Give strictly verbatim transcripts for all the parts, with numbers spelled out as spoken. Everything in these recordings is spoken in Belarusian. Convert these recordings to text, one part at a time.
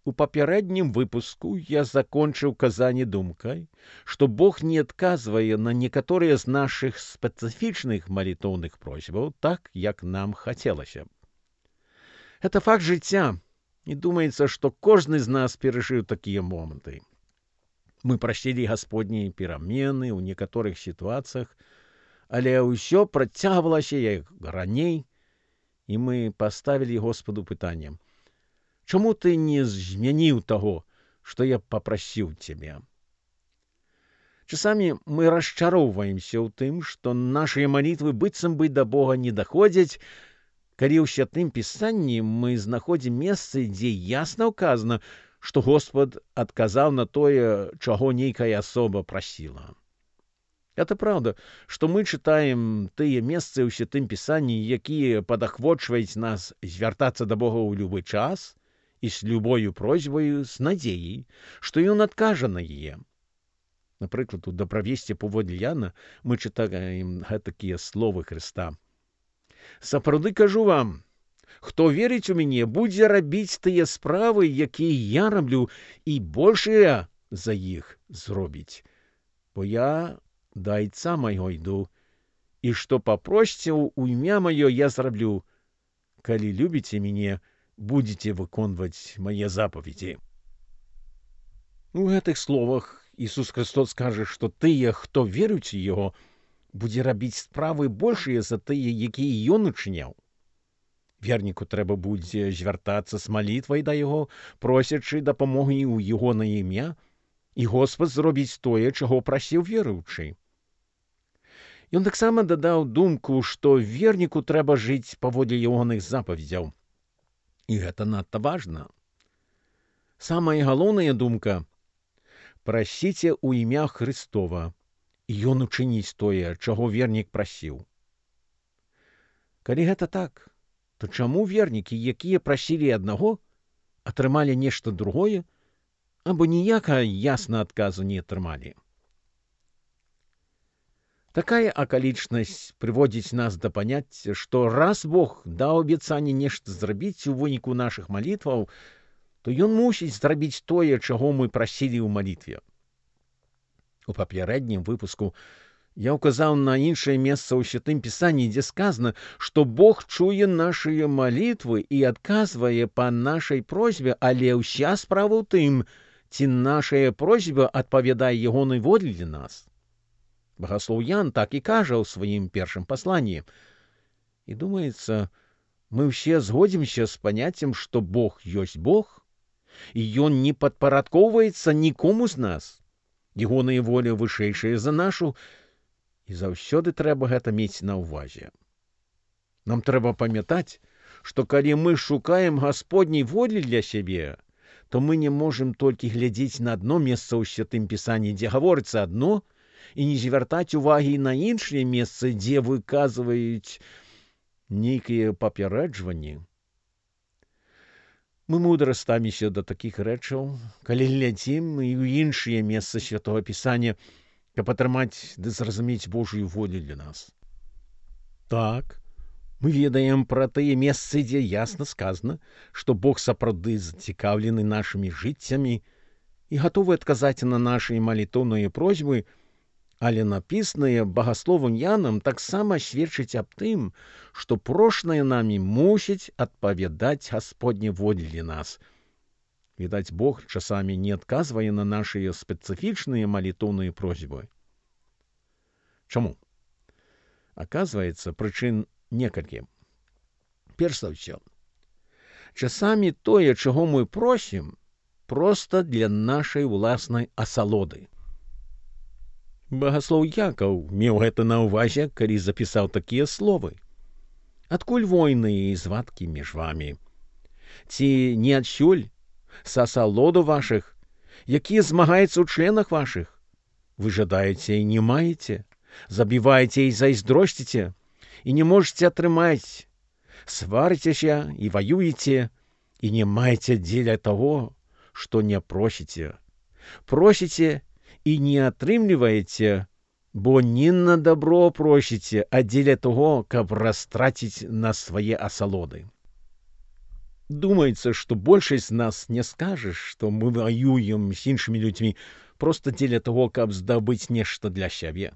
У папярэднім выпуску я закончыў казанне думкай, што Бог не адказвае на некаторыя з нашых спецыфічных малітоўных просьбаў так, як нам хацелася б. Это факт жыцця, і думаецца, што кожны з нас перажыў такія моманты. Мы прасілі Гасподняй перамены ў некаторых сітуацыях, але ўсё працягвалася як раней, і мы паставілі Господу пытанне: чаму ты не змяніў таго, што я папрасіў цябе? Часамі мы расчароўваемся ў тым, што нашыя малітвы быццам бы да Бога не даходзяць, калі ў Святым Пісанні мы знаходзім месцы, дзе ясна ўказана, што Господ адказаў на тое, чаго нейкая асоба прасіла. Это праўда, што мы чытаем тыя месцы ў Святым Пісанні, якія падахвочваюць нас звяртацца да Бога ў любы час і з любою просьбаю, з надзеяй, што Ён адкажа на яе. Напрыклад, у дабравесці паводле Яна мы чытаем гэтакія словы Хрыста. «Сапраўды кажу вам, хто верыць у мяне, будзе рабіць тыя справы, якія я раблю, і большыя за іх зробіць. Бо я да Айца майго іду, і што папросіце ў імя маё я зраблю. Калі любіце мяне, будзеце выконваць мае запаведзі». У гэтых словах Ісус Христос кажа, што тыя, хто веруюць у Яго, будзе рабіць справы большыя за тыя, якія Ён учыняў. Верніку трэба будзе звяртацца з малітвай да Яго, просячы дапамогі ў Ягонае імя, і Господ зробіць тое, чаго прасіў веруючы. Ён таксама дадаў думку, што верніку трэба жыць паводле ягоных запаведзяў. І гэта надта важна. Самая галоўная думка — прасіце ў імя Хрыстова, і Ён учыніць тое, чаго вернік прасіў. Калі гэта так, то чаму вернікі, якія прасілі аднаго, атрымалі нешта другое, або ніякага ясна адказу не атрымалі? Такая акалічнасць прыводзіць нас да паняцця, што раз Бог даў абяцанне нешта зрабіць у выніку нашых малітваў, то Ён мусіць зрабіць тое, чаго мы прасілі ў малітве. У папярэднім выпуску я ўказаў на іншае месца ў Святым Пісанні, дзе сказана, што Бог чуе нашыя малітвы і адказвае па нашай просьбе, але ўся справа ў тым, ці нашая просьба адпавядае ягонай волі для нас. Багаслоў Ян так і кажа ў сваім першым пасланні. І думаецца, мы ўсе згодзімся з паняццем, што Бог ёсць Бог, і Ён не падпарадкоўваецца нікому з нас. Ягоная воля вышэйшая за нашу, і заўсёды трэба гэта мець на ўвазе. Нам трэба памятаць, што калі мы шукаем Гасподняй волі для сябе, то мы не можам толькі глядзець на адно месца ў Святым Пісанні, дзе гаворыцца адно, і не звяртаць увагі на іншыя месцы, дзе выказваюць нейкія папярэджванні. Мы мудра ставімся да такіх рэчаў, калі глядзім і ў іншыя месцы Святога Пісання, каб атрымаць ды зразумець Божую волю для нас. Так, мы ведаем пра тыя месцы, дзе ясна сказана, што Бог сапраўды зацікаўлены нашымі жыццямі і гатовы адказаць на нашы малітоўныя просьбы, але напісанае багасловам Янам таксама сведчыць аб тым, што прошанае намі мусіць адпавядаць Гасподняй волі для нас. Відаць, Бог часамі не адказвае на нашыя спецыфічныя малітоўныя просьбы. Чаму? Аказваецца, прычын некалькі. Перш за ўсё, часамі тое, чаго мы просім, проста для нашай уласнай асалоды. Багаслоў Якаў меў гэта на ўвазе, калі запісаў такія словы. Адкуль войны і звадкі між вамі? Ці не адсюль са асалоду вашых, якія змагаюцца ў членах вашых? Вы жадаеце і не маеце, забіваеце і зайздросціце, і не можаце атрымаць, сварыцеся і ваюеце, і не маеце дзеля таго, што не просіце. Просіце і не атрымліваеце, бо не на дабро просіце, а дзеля таго, каб растраціць на свае асалоды. Думаецца, што большасць з нас не скажа, што мы ваюем з іншымі людзьмі проста дзеля таго, каб здабыць нешта для сябе.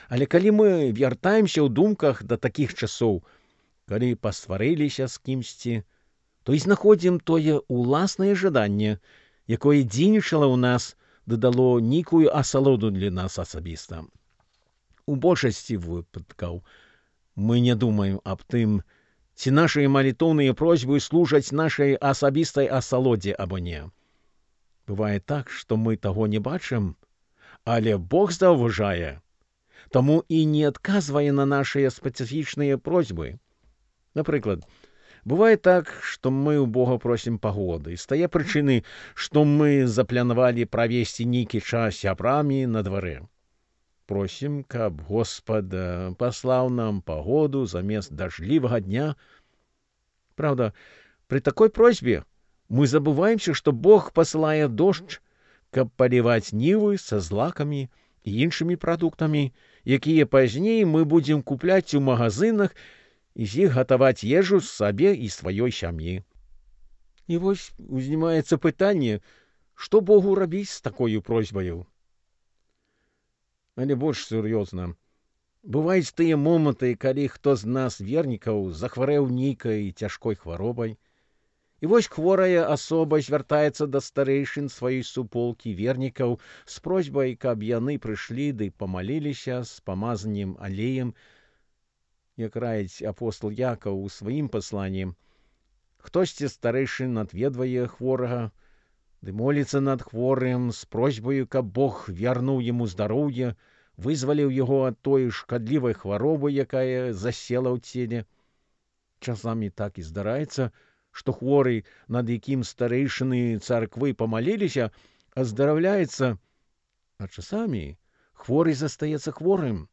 Але калі мы вяртаемся ў думках да такіх часоў, калі пасварыліся з кімсьці, то і знаходзім тое ўласнае жаданне, якое дзейнічала ў нас, дадало нейкую асалоду для нас асабіста. У большасці выпадкаў мы не думаем аб тым, ці нашыя малітоўныя просьбы служаць нашай асабістай асалодзе або не. Бывае так, што мы таго не бачым, але Бог заўважае, таму і не адказвае на нашыя спецыфічныя просьбы. Напрыклад, бывае так, што мы ў Бога просім пагоды, з тае прычыны, што мы запланавалі правесці нейкі час сябрамі на дварэ. Просім, каб Господ паслаў нам пагоду замест дажджлівага дня. Правда, пры такой просьбе мы забываемся, што Бог пасылае дождж, каб паліваць нівы са злакамі і іншымі прадуктамі, якія пазней мы будзем купляць у магазынах і з іх гатаваць ежу сабе і сваёй сям'і. І вось узнімаецца пытанне, што Богу рабіць з такою просьбаю? Але больш сур'ёзна. Бываюць тыя моманты, калі хто з нас, вернікаў, захварэў нейкай цяжкой хваробай, і вось хворая асоба звяртаецца да старэйшын сваёй суполкі вернікаў з просьбай, каб яны прыйшлі ды памаліліся з памазаннем алеем, як раіць апостол Якаў у сваім пасланні. Хтосьці старэйшын адведвае хворага, ды моліцца над хворым з просьбаю, каб Бог вярнуў яму здароўе, вызваліў яго ад той шкадлівай хваробы, якая засела ў целе. Часамі так і здараецца, што хворы, над якім старэйшыны царквы памаліліся, аздараўляецца, а часамі хворы застаецца хворым.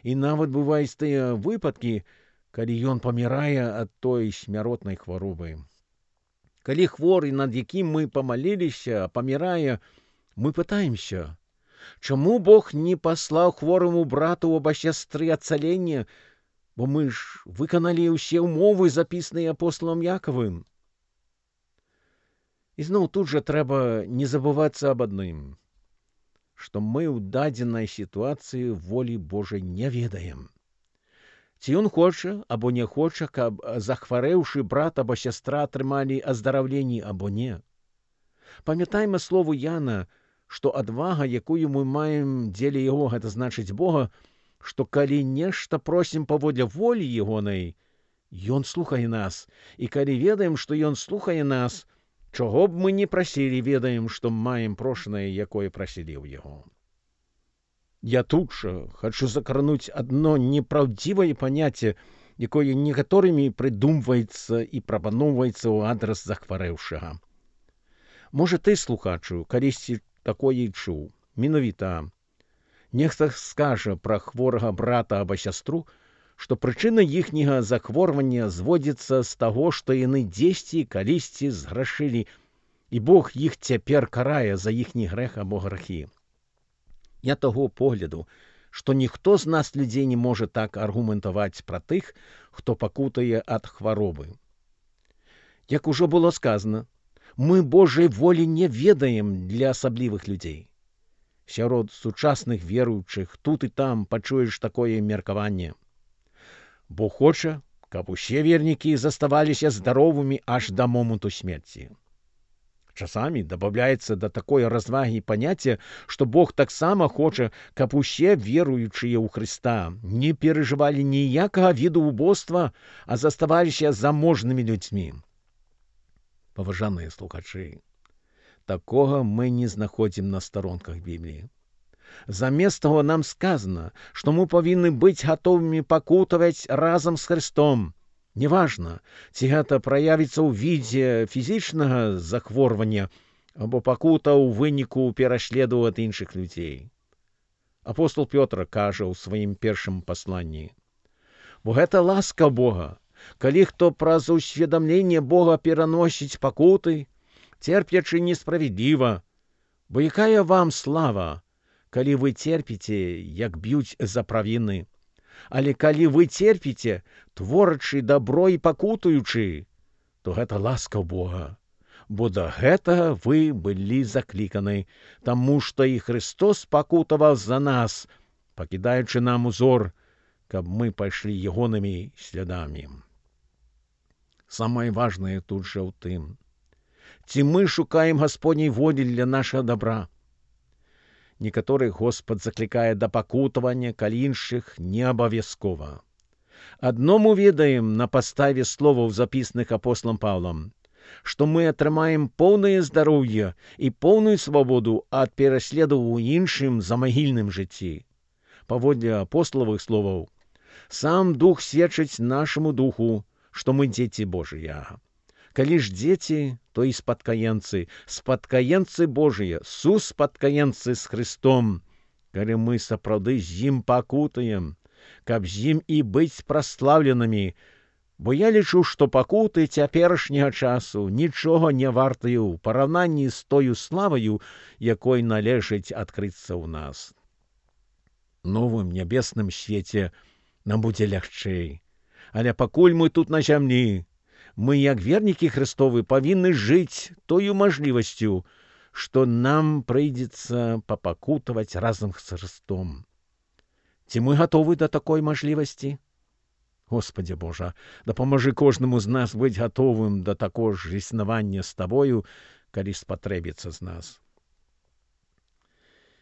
І нават бываюць тыя выпадкі, калі ён памірае ад той смяротнай хваробы. Калі хворы, над якім мы памаліліся, памірае, мы пытаемся, чаму Бог не паслаў хвораму брату або сястры ацалення, бо мы ж выканалі ўсе ўмовы, запісныя апосталам Якавым. І зноў тут жа трэба не забывацца аб адным, што мы ў дадзенай сітуацыі волі Божай не ведаем. Ці ён хоча або не хоча, каб захварэўшы брат або сястра атрымалі аздараўленні або не. Памятайма слову Яна, што адвага, якую мы маем дзеля яго, гэта значыць Бога, што калі нешта просім паводле волі ягонай, ён слухае нас, і калі ведаем, што ён слухае нас, чаго б мы не прасілі, ведаем, што маем прошанае, якое прасілі ў яго. Я тут жа хачу закрануць адно непраўдзівае паняцце, якое некаторымі прыдумваецца і прапаноўваецца ў адрас захварэўшага. Можа, ты, слухачу, калісьці такое і чуў. Менавіта нехта скажа пра хворага брата або сястру, што прычына іхняга захворвання зводзіцца з таго, што яны дзесьці калісьці зграшылі, і Бог іх цяпер карае за іхні грэх або грахі. Я таго погляду, што ніхто з нас людзей не можа так аргументаваць пра тых, хто пакутае ад хваробы. Як ужо было сказана, мы Божай волі не ведаем для асаблівых людзей. Сярод сучасных веруючых тут і там пачуеш такое меркаванне. Бог хоча, каб усе вернікі заставаліся здаровымі аж да моманту смерці. Часамі дабаўляецца да такой развагі паняцце, што Бог таксама хоча, каб усе веруючыя ў Хрыста не перажывалі ніякага віду убоства, а заставаліся заможнымі людзьмі. Паважаныя слухачы, такога мы не знаходзім на старонках Бібліі. Замест таго нам сказана, што мы павінны быць гатовымі пакутаваць разам з Хрыстом. Неважна, ці гэта праявіцца ў відзе фізічнага захворвання або пакута ў выніку пераследу ад іншых людзей. Апостол Пётр кажа ў сваім першым пасланні: «Бо гэта ласка Бога, калі хто праз усведамленне Бога пераносіць пакуты, церпячы несправедліва, бо якая вам слава, калі вы церпіце, як б'юць за правіны. Але калі вы церпіце, творачы дабро і пакутуючы, то гэта ласка Бога. Бо да гэтага вы былі закліканы, таму што і Христос пакутаваў за нас, пакідаючы нам узор, каб мы пайшлі ягонымі слядамі. Самае важнае тут жа ў тым, ці мы шукаем Гасподняй волі для нашага добра. Некаторых Господ заклікае да пакутавання, калі іншых не абавязкова. Адно мы ведаем на падставе словаў, запісаных апосталам Паўлам, што мы атрымаем поўнае здароўе і поўную свабоду ад пераследаў у іншым замагільным жыцці. Паводле апосталавых словаў, сам Дух сведчыць нашаму духу, што мы дзеці Божыя. Калі ж дзеці, то і спадкаемцы, спадкаемцы Божыя, суспадкаемцы з Христом, калі мы сапраўды з ім пакутаем, каб з ім і быць праслаўленымі, бо я лічу, што пакуты цяперашняга часу нічога не вартыя ў параўнанні з тою славаю, якой належыць адкрыцца ў нас. Новым нябесным свеце нам будзе лягчэй, але пакуль мы тут на зямлі, мы, як вернікі Христовы, павінны жыць тою мажлівасцю, што нам прыйдзецца папакутаваць разам з Христом. Ці мы гатовы да такой мажлівасці? Господи Божа, дапамажы кожнаму з нас быць гатовым да такога ж існавання з Табою, калі спатрэбіцца з нас.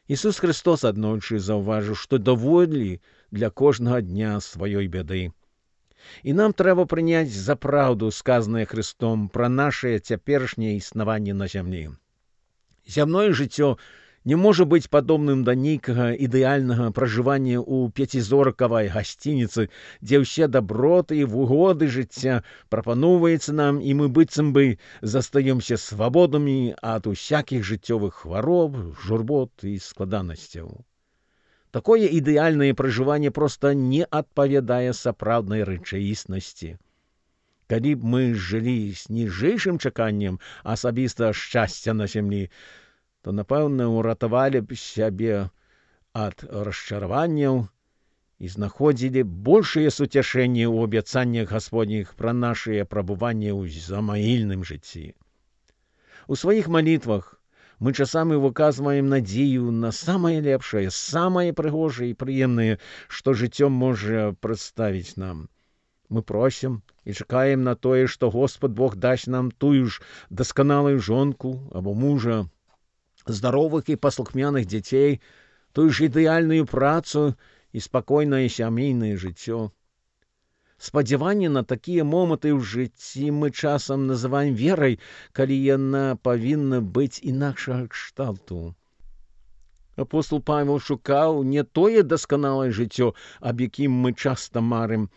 Ісус Христос аднойчы заўважыў, што даволі для кожнага дня сваёй бяды. І нам трэба прыняць за праўду сказанае Христом пра нашае цяперашняе існаванне на зямлі. Зямное жыццё не можа быць падобным да нейкага ідэальнага пражывання ў пяцізоркавай гасцініцы, дзе ўсе даброты і выгоды жыцця прапаноўваецца нам, і мы быццам бы застаёмся свабоднымі ад усякіх жыццёвых хвароб, журбот і складанасцяў. Такое ідэальнае пражыванне проста не адпавядае сапраўднай рэчаіснасці. Калі б мы жылі з ніжэйшым чаканнем асабістага шчасця на зямлі, то, напэўна, уратавалі б сябе ад расчараванняў і знаходзілі большае суцяшэнне ў абяцаннях Гасподніх пра нашае прабыванне ў замагільным жыцці. У сваіх малітвах мы часамі выказваем надзею на самае лепшае, самае прыгожае і прыемнае, што жыццё можа прадставіць нам. Мы просім і чакаем на тое, што Господ Бог дасць нам тую ж дасканалую жонку або мужа, здаровых і паслухмяных дзяцей, тую ж ідэальную працу і спакойнае сямейнае жыццё. Спадзяванне на такія моманты ў жыцці мы часам называем верай, калі яна павінна быць інакшага кшталту. Апостол Павел шукаў не тое дасканалае жыццё, аб якім мы часта марым,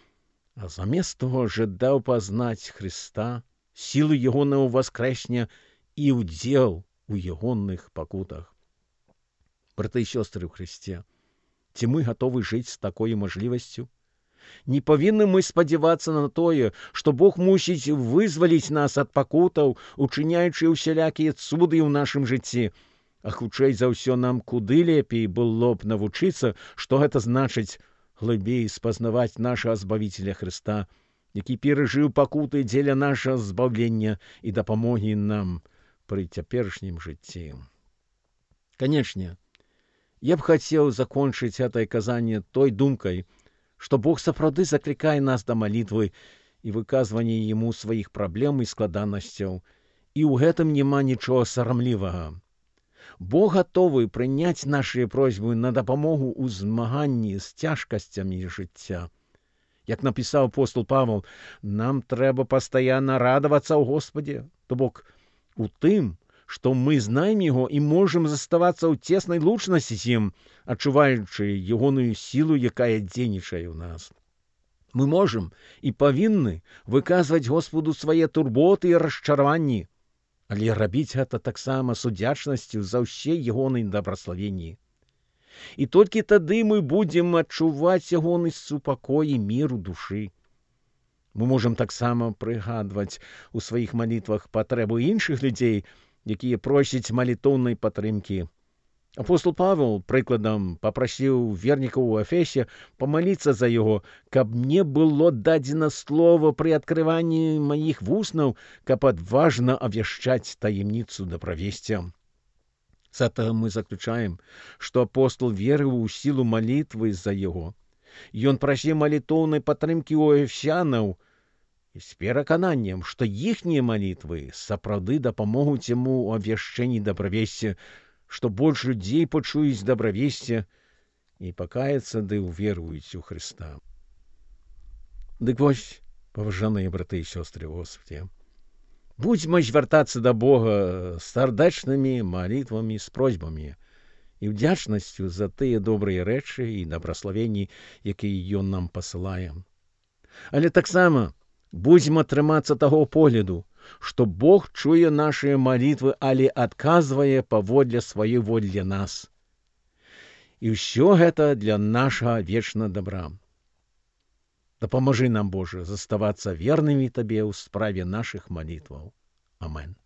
а замест того жадаў пазнаць Христа, сілу ягонага воскрэсення і ўдзел у ягоных пакутах. Браты і сёстры ў Христе, ці мы гатовы жыць з такой мажлівасцю? Не павінны мы спадзявацца на тое, што Бог мусіць вызваліць нас ад пакутаў, учыняючы ўсялякія цуды ў нашым жыцці. А хутчэй за ўсё нам куды лепей было б навучыцца, што гэта значыць глыбей спазнаваць нашага Збавіцеля Христа, які перажыў пакуты дзеля нашага збаўлення і дапамогі нам пры цяперашнім жыцці. Канечне, я б хацеў закончыць гэтае казанне той думкай, што Бог сапраўды заклікае нас да малітвы і выказвання Яму сваіх праблем і складанасцяў, і ў гэтым няма нічога сарамлівага. Бог гатовы прыняць нашыя просьбы на дапамогу ў змаганні з цяжкасцямі жыцця. Як напісаў апостол Павел, нам трэба пастаянна радавацца ў Господе, то бок у тым, што мы знаем Яго і можам заставацца ў цеснай лучнасці з ім, адчуваючы ягоную сілу, якая дзейнічае ў нас. Мы можам і павінны выказваць Господу свае турботы і расчараванні, але рабіць гэта таксама з удзячнасцю за ўсе ягоныя дабраславенні. І толькі тады мы будзем адчуваць ягоны супакой і мір у душы. Мы можам таксама прыгадваць у сваіх малітвах патрэбу іншых людзей, якія просяць малітоўнай падтрымкі. Апостол Павел, прыкладам, папрасіў вернікаў у Эфесе памаліцца за яго, каб мне было дадзена слова пры адкрыванні маіх вуснаў, каб адважна абвяшчаць таемніцу дабравесця. З этого мы заключаем, што апостол верыў у сілу малітвы за яго. Ён прасіў малітоўнай падтрымкі ў эфесянаў з перакананнем, што іхнія малітвы сапраўды дапамогуць яму ў абвяшчэнні дабравесця, што больш людзей пачуюць дабравесце і пакаяцца ды ўверуюць у Хрыста. Дык вось, паважаныя браты і сёстры ў Господе, будзьма звяртацца да Бога з сардэчнымі малітвамі, з просьбамі і ўдзячнасцю за тыя добрыя рэчы і дабраславенні, якія Ён нам пасылае. Але таксама будзьма трымацца таго погляду, што Бог чуе нашыя малітвы, але адказвае паводле сваёй волі для нас. І ўсё гэта для нашага вечнага дабра. Дапамажы нам, Божа, заставацца вернымі Табе ў справе нашых малітваў. Амен.